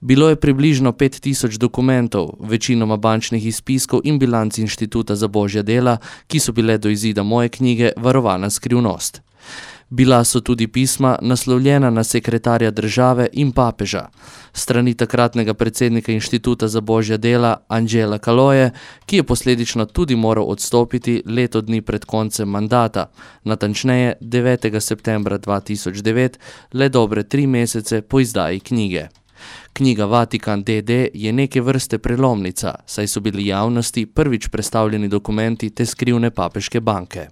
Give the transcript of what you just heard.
Bilo je približno 5000 dokumentov, večinoma bančnih izpiskov in bilanc Inštituta za božja dela, ki so bile do izida moje knjige varovana skrivnost. Bila so tudi pisma, naslovljena na sekretarja države in papeža, strani takratnega predsednika Inštituta za božja dela Angela Kaloje, ki je posledično tudi moral odstopiti leto dni pred koncem mandata, natančneje 9. septembra 2009, le dobre 3 mesece po izdaji knjige. Knjiga Vatikan d.d. je neke vrste prelomnica, saj so bili javnosti prvič predstavljeni dokumenti te skrivne papeške banke.